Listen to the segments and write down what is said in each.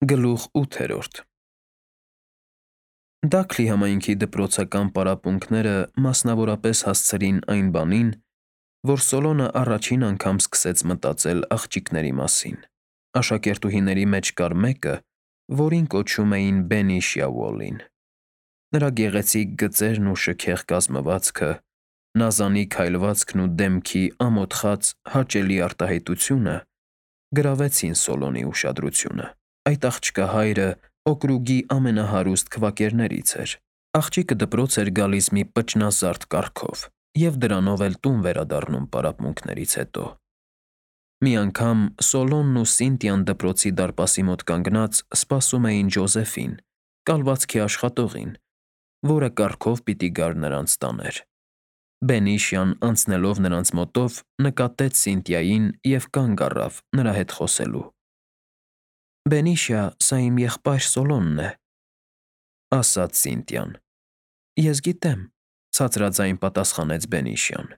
Գլուխ 8 Դաքլի համայնքի դպրոցական պարապմունքները մասնավորապես հասցրին այն բանին, որ Սոլոնը առաջին անգամ սկսեց մտածել աղջիկների մասին։ Աշակերտուհիների մեջ կար մեկը, որին կոչում էին Բենիշիա Ուոլլին։ Նրա գեղեցիկ գծերն ու շքեղ կազմվածքը, նազանիկ հայլվածքն ու դեմքի ամոթխած, հաճելի արտահայտությունը գրավեցին Սոլոնի ուշադրությունը։ Այդ աղջկա հայրը օկրուգի ամենահարուստ քվակերներից էր։ Աղջիկը դպրոց էր գալիս մի պճնազարդ կառքով և դրանով էլ տուն վերադառնում պարապմունքներից հետո։ Մի անգամ Սոլոնն ու Սինտիան դպրոցի դարպասի մոտ կանգնած սպասում էին Ջոզեֆին, կալվածքի աշխատողին, որը կառքով պիտի գար նրանց տաներ։ Բենիշիան անցնելով նրանց մոտով նկատեց Սինտիային և կանգ առավ նրա հետ խոսելու։ «Բենիշիա, սա իմ եղբայր Սոլոնն է», ֊ ասաց Սինտիան։ «Ես գիտեմ», ֊ ցածրաձայն պատասխանեց Բենիշիան։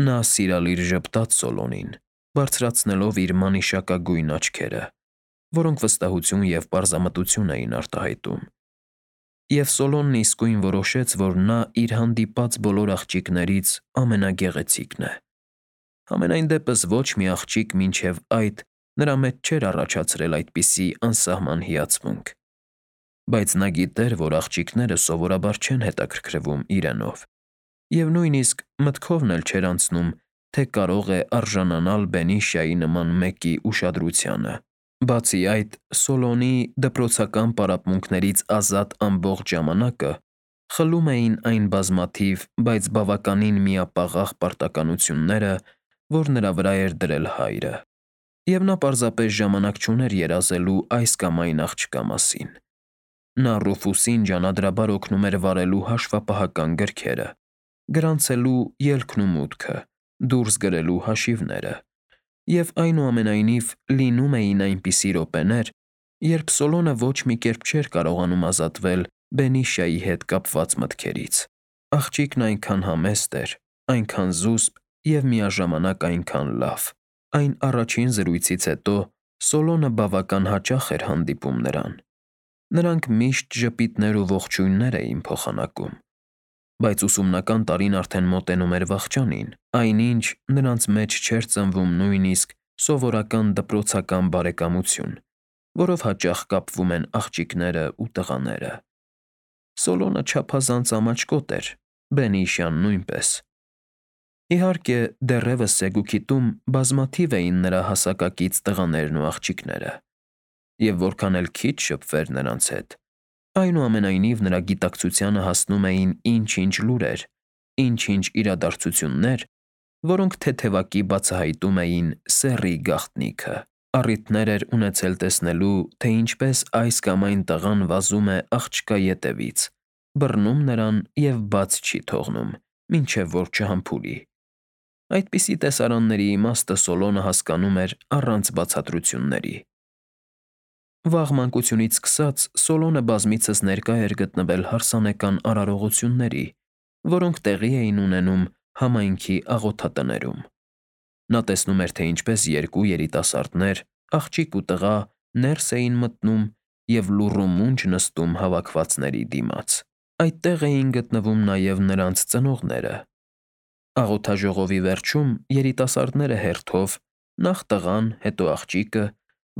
Նա սիրալիր ժպտաց Սոլոնին, բարձրացնելով իր մանիշակագույն աչքերը, որոնք վստահություն և պարզամտություն էին արտահայտում։ Եվ Սոլոնն իսկույն որոշեց, որ նա իր հանդիպած բոլոր աղջիկներից ամենագեղեցիկն է։ Համենայն դեպս ոչ մի աղջիկ մինչև այդ նրա մեջ չէր առաջացրել այդպիսի անսահման հիացմունք։ Բայց նա գիտեր, որ աղջիկները սովորաբար չեն հետաքրքրվում իրենով, և նույնիսկ մտքովն էլ չէր անցնում, թե կարող է արժանանալ Բենիշիայի նման մեկի ուշադրությանը։ Բացի այդ, Սոլոնի դպրոցական պարապմունքներից ազատ ամբողջ ժամանակը խլում էին այն բազմաթիվ, բայց բավականին միապաղաղ պարտականությունները, որ նրա վրա էր դրել հայրը։ Եվ նա պարզապես ժամանակ չուներ երազելու այս կամ այն աղջկա մասին։ Նա Ռուֆուսին ջանադրաբար օգնում էր վարելու հաշվապահական գրքերը, գրանցելու ելքն ու մուտքը, դուրս գրելու հաշիվները, և այնուամենայնիվ լինում էին այնպիսի րոպեներ, երբ Սոլոնը ոչ մի կերպ չէր կարողանում ազատվել Բենիշիայի հետ կապված մտքերից։ Աղջիկն այնքան համեստ էր, այնքան զուսպ և միաժամանակ այնքան լավ։ Այն առաջին զրույցից հետո Սոլոնը բավական հաճախ էր հանդիպում նրան։ Նրանք միշտ ժպիտներ ու ողջույններ էին փոխանակում։ Բայց ուսումնական տարին արդեն մոտենում էր վախճանին, այնինչ նրանց մեջ չէր ծնվում նույնիսկ սովորական դպրոցական բարեկամություն, որով հաճախ կապվում են աղջիկները ու տղաները։ Սոլոնը չափազանց ամաչկոտ էր, Բենիշիան նույնպես։ Իհարկե, դեռևս Սեգուքիտում բազմաթիվ էին նրա հասակակից տղաներն ու աղջիկները, և որքան էլ քիչ շփվեր նրանց հետ, այնուամենայնիվ նրա գիտակցությանը հասնում էին ինչ-ինչ լուրեր, ինչ-ինչ իրադարձություններ, որոնք թեթևակի բացահայտում էին սեռի գաղտնիքը։ Առիթներ էր ունեցել տեսնելու, թե ինչպես այս կամ այն տղան վազում է աղջկա ետևից, բռնում նրան և բաց չի թողնում, մինչև որ չհամբուրի։ Այդպիսի տեսարանների իմաստը Սոլոնը հասկանում էր առանց բացատրությունների։ Վաղ մանկությունից սկսած Սոլոնը բազմիցս ներկա էր գտնվել հարսանեկան արարողությունների, որոնք տեղի էին ունենում համայնքի աղոթատներում։ Նա տեսնում էր, թե ինչպես երկու երիտասարդներ, աղջիկ ու տղա, ներս էին մտնում և լուռումունջ նստում հավաքվածների դիմաց։ Այդտեղ էին գտնվում նաև նրանց ծնողները։ Աղոթաժողովի վերջում երիտասարդները հերթով, նախ տղան, հետո աղջիկը,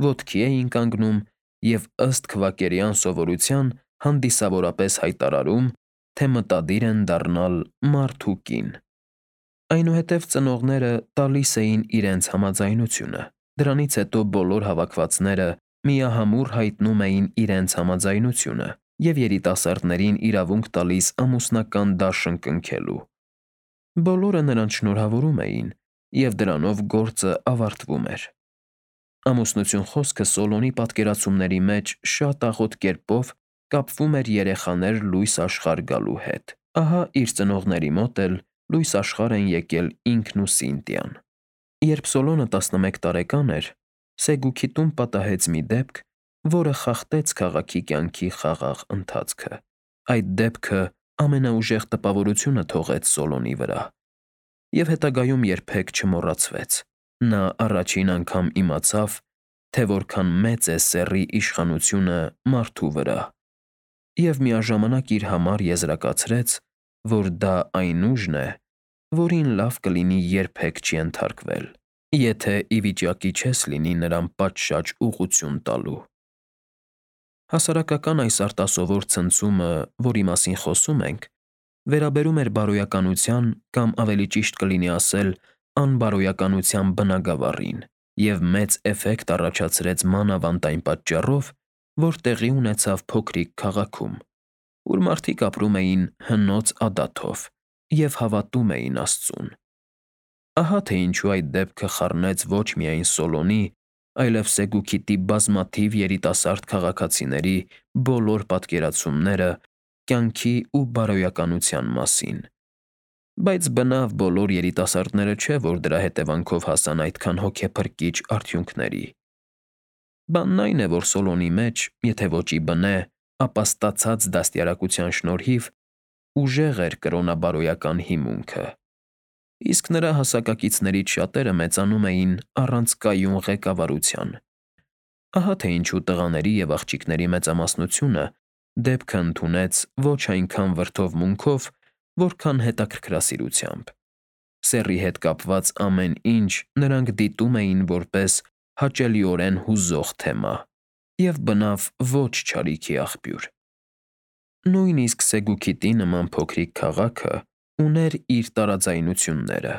ոտքի էին կանգնում և ըստ քվակերյան սովորության հանդիսավորապես հայտարարում, թե մտադիր են դառնալ մարդ ու կին։ Այնուհետև ծնողները տալիս էին իրենց համաձայնությունը։ Դրանից հետո բոլոր հավաքվածները միահամուռ հայտնում էին իրենց համաձայնությունը և երիտասարդներին իրավունք տալիս ամուսնական դաշն կնքելու։ Բոլորը նրանց շնորհավորում էին, և դրանով գործը ավարտվում էր։ Ամուսնություն խոսքը Սոլոնի պատկերացումների մեջ շատ աղոտ կերպով կապվում էր երեխաներ լույս աշխարհ գալու հետ։ Ահա իր ծնողների մոտ էլ լույս աշխարհ են եկել ինքն ու Սինտիան։ Երբ Սոլոնը 11 տարեկան էր, Սեգուքիտում պատահեց մի դեպք, որը խախտեց քաղաքի կյանքի խաղաղ ընթացքը։ Այդ դեպքը ամենաուժեղ տպավորությունը թողեց Սոլոնի վրա և հետագայում երբեք չմոռացվեց։ Նա առաջին անգամ իմացավ, թե որքան մեծ է սեռի իշխանությունը մարդու վրա, և միաժամանակ իր համար եզրակացրեց, որ դա այն ուժն է, որին լավ կլինի երբեք չենթարկվել, եթե ի վիճակի չես լինի նրան պատշաճ ուղղություն տալու։ Հասարակական այս արտասովոր ցնցումը, որի մասին խոսում ենք, վերաբերում էր բարոյականության կամ ավելի ճիշտ կլինի ասել անբարոյականության բնագավառին և մեծ էֆեկտ առաջացրեց մանավանդ այն պատճառով, որ տեղի ունեցավ փոքրիկ քաղաքում, ուր մարդիկ ապրում էին հնոց ադաթով և հավատում էին Աստծուն։ Ահա թե ինչու այդ դեպքը խառնեց ոչ միայն Սոլոնի, այլև Սեգուքիտի բազմաթիվ երիտասարդ քաղաքացիների բոլոր պատկերացումները կյանքի ու բարոյականության մասին։ Բայց բնավ բոլոր երիտասարդները չէ, որ դրա հետևանքով հասան այդքան հոգեփրկիչ արդյունքների։ Բանն այն է, որ Սոլոնի մեջ, եթե ոճի բնե, ապա ստացած դաստիարակության շնորհիվ ուժեղ էր կրոնաբարոյական հիմունքը, իսկ նրա հասակակիցներից շատերը մեծանում էին առանց կայուն ղեկավարության։ Ահա թե ինչու տղաների և աղջիկների մեծամասնությունը դեպքը ընդունեց ոչ այնքան վրդովմունքով, որքան հետաքրքրասիրությամբ։ Սեռի հետ կապված ամեն ինչ նրանք դիտում էին որպես հաճելիորեն հուզող թեմա և բնավ ոչ չարիքի աղբյուր։ Նույնիսկ Սեգուքիտի նման փոքրիկ քաղաքը ուներ իր տարաձայնությունները։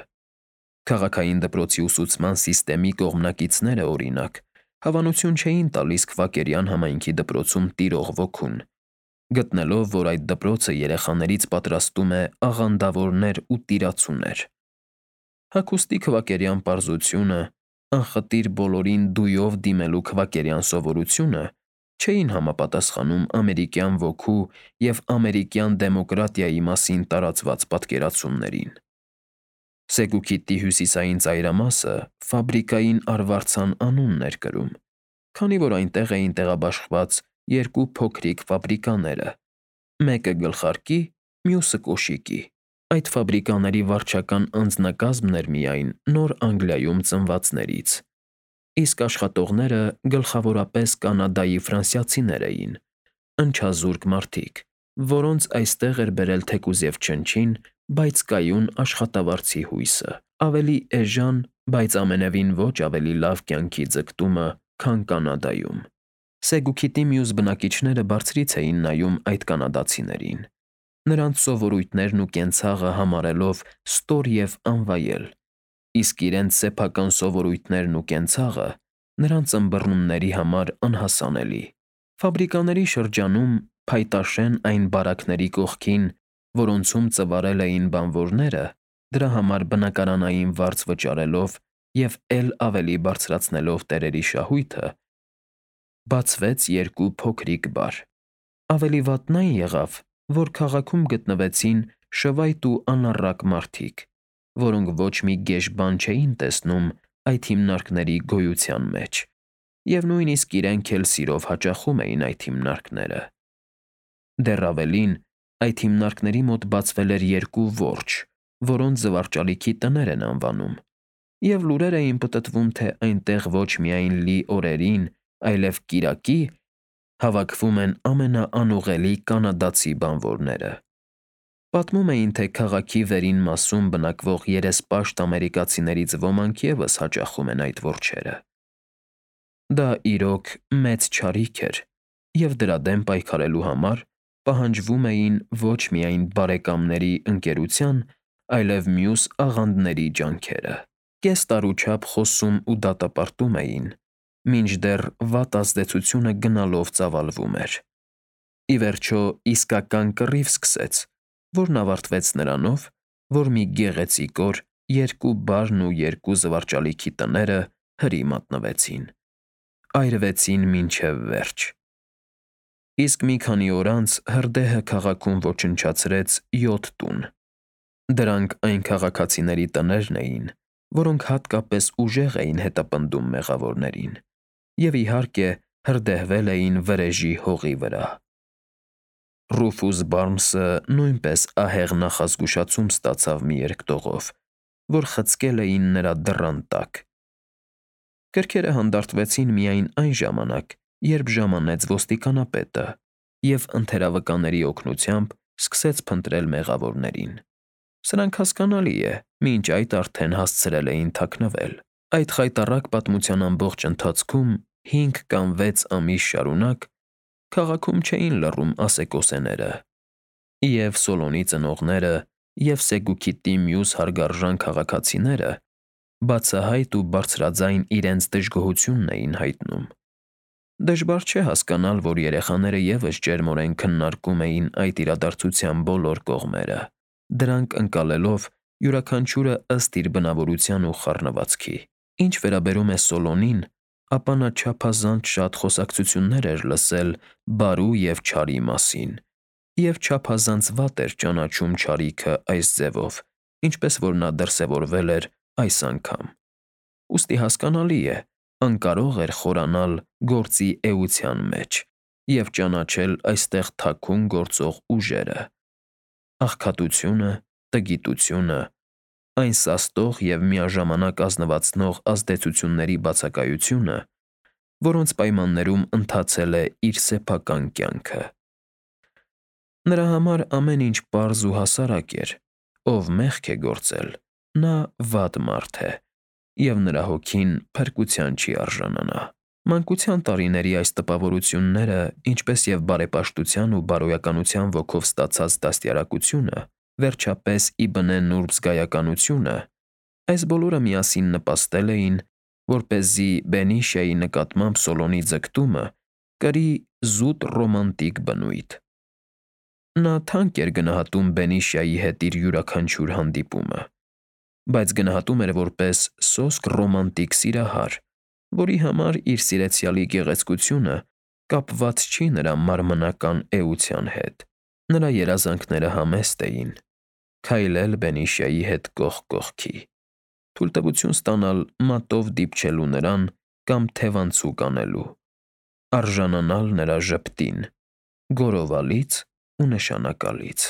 Քաղաքային դպրոցի ուսուցման սիստեմի կողմնակիցները, օրինակ, հավանություն չէին տալիս Քվակերյան համայնքի դպրոցում տիրող ոգուն, գտնելով, որ այդ դպրոցը երեխաներից պատրաստում է աղանդավորներ ու տիրացուներ։ Հագուստի քվակերյան պարզությունը, անխտիր բոլորին դույով դիմելու քվակերյան սովորությունը չէին համապատասխանում ամերիկյան ոգու և ամերիկյան դեմոկրատիայի մասին տարածված պատկերացումներին։ Սեգուքիտի հյուսիսային ծայրամասը Ֆաբրիկային Արվարձան անունն էր կրում, քանի որ այնտեղ էին տեղաբաշխված երկու փոքրիկ ֆաբրիկաները՝ մեկը գլխարկի, մյուսը կոշիկի։ Այդ ֆաբրիկաների վարչական անձնակազմն էր միայն Նոր Անգլիայում ծնվածներից, իսկ աշխատողները գլխավորապես Կանադայի ֆրանսիացիներ էին, ընչազուրկ մարդիկ, որոնց այստեղ էր բերել թեկուզ և չնչին, բայց կայուն աշխատավարձի հույսը, ավելի էժան, բայց ամենևին ոչ ավելի լավ կյանքի ձգտումը, քան Կանադայում։ Սեգուքիտի մյուս բնակիչները բարձրից էին նայում այդ կանադացիներին, նրանց սովորույթներն ու կենցաղը համարելով ստոր և անվայել, իսկ իրենց սեփական սովորույթներն ու կենցաղը նրանց ըմբռնումների համար անհասանելի։ Ֆաբրիկաների շրջանում, փայտաշեն այն բարակների կողքին, որոնցում ծվարել էին բանվորները, դրա համար բնակարանային վարձ վճարելով և էլ ավելի բարձրացնելով տերերի շահույթը, բացվեց երկու փոքրիկ բար։ Ավելի վատն այն եղավ, որ քաղաքում գտնվեցին շվայտ ու անառակ մարդիկ, որոնք ոչ մի գեշ բան չէին տեսնում այդ հիմնարկների գոյության մեջ, և նույնիսկ իրենք էլ սիրով հաճախում էին այդ հիմնարկները։ Դեռ ավելին, այդ հիմնարկների մոտ բացվել էր երկու որջը, որոնց զվարճալիքի տներ են անվանում, և լուրեր էին պտտվում, թե այնտեղ ոչ միայն լի օրերին, այլև կիրակի հավաքվում են ամենաանուղելի կանադացի բանվորները։ Պատմում էին, թե քաղաքի վերին մասում բնակվող երեսպաշտ ամերիկացիներից ոմանք ևս հաճախում են այդ որջերը։ Դա, իրոք, մեծ չարիք էր, և դրա դեմ պայքարելու համար պահանջվում էին ոչ միայն բարեկամների ընկերության, այլև մյուս աղանդների ջանքերը։ Կես տարու չափ խոսում ու դատապարտում էին, մինչդեռ վատ ազդեցությունը գնալով ծավալվում էր։ Ի վերջո, իսկական կռիվ սկսեց, որն ավարտվեց նրանով, որ մի գեղեցիկ օր երկու բարն ու երկու զվարճալիքի տները հրի մատնվեցին, այրվեցին մինչև վերջ։ Իսկ մի քանի օր անց հրդեհը քաղաքում ոչնչացրեց 7 տուն։ Դրանք այն քաղաքացիների տներն էին, որոնք հատկապես ուժեղ էին հետապնդում մեղավորներին, և իհարկե հրդեհվել էին վրեժի հողի վրա։ Ռուֆուս Բարնսը նույնպես ահեղ նախազգուշացում ստացավ մի երկտողով, որ խցկել էին նրա դռան տակ։ Կրքերը հանդարտվեցին միայն այն ժամանակ, երբ ժամանեց ոստիկանապետը և ընթերավկանների օգնությամբ սկսեց փնտրել մեղավորներին։ Սրանք հասկանալի է, մինչ այդ արդեն հասցրել էին թաքնվել։ Այդ խայտառակ պատմության ամբողջ ընթացքում 5 կամ 6 ամիս շարունակ քաղաքում չէին լռում ասեկոսեները, և Սոլոնի ծնողները և Սեգուքիտի մյուս հարգարժան քաղաքացիները բացահայտ ու բարձրաձայն իրենց դժգոհությունն էին հայտնում։ Դժվար չէ հասկանալ, որ երեխաները ևս ջերմորեն քննարկում էին այդ իրադարձության բոլոր կողմերը, դրանք ընկալելով յուրաքանչյուրը ըստ իր բնավորության ու խառնվածքի։ Ինչ վերաբերում է Սոլոնին, ապա նա չափազանց շատ խոսակցություններ էր լսել բարու և չարի մասին, և չափազանց վատ էր ճանաչում չարիքը այս ձևով, ինչպես որ նա դրսևորվել էր այս անգամ։ Ուստի հասկանալի է, անկարող էր խորանալ գործի էության մեջ և ճանաչել այստեղ թաքուն գործող ուժերը՝ աղքատությունը, տգիտությունը, այն սաստող և միաժամանակ ազնվացնող ազդեցությունների բացակայությունը, որոնց պայմաններում ընթացել է իր սեփական կյանքը։ Նրա համար ամեն ինչ պարզ ու հասարակ էր. ով մեղք է գործել, նա վատ մարդ է, և նրա հոգին փրկության չի արժանանա։ Մանկության տարիների այս տպավորությունները, ինչպես և բարեպաշտության ու բարոյականության ոգով ստացած դաստիարակությունը, վերջապես ի բնե նուրբ զգայականությունը, այս բոլորը միասին նպաստել էին, որպեսզի Բենիշիայի նկատմամբ Սոլոնի ձգտումը կրի զուտ ռոմանտիկ բնույթ։ Նա թանկ էր գնահատում Բենիշիայի հետ իր յուրաքանչյուր հանդիպումը, բայց գնահատում էր որպես սոսկ ռոմանտիկ սիրահար, որի համար իր սիրեցյալի գեղեցկությունը կապված չի նրա մարմնական էության հետ։ Նրա երազանքները համեստ էին՝ քայլել Բենիշիայի հետ կողք կողքի, թույլտվություն ստանալ մատով դիպչելու նրան կամ թևանցուկ անելու, արժանանալ նրա ժպտին՝ գոռովալից ու նշանակալից։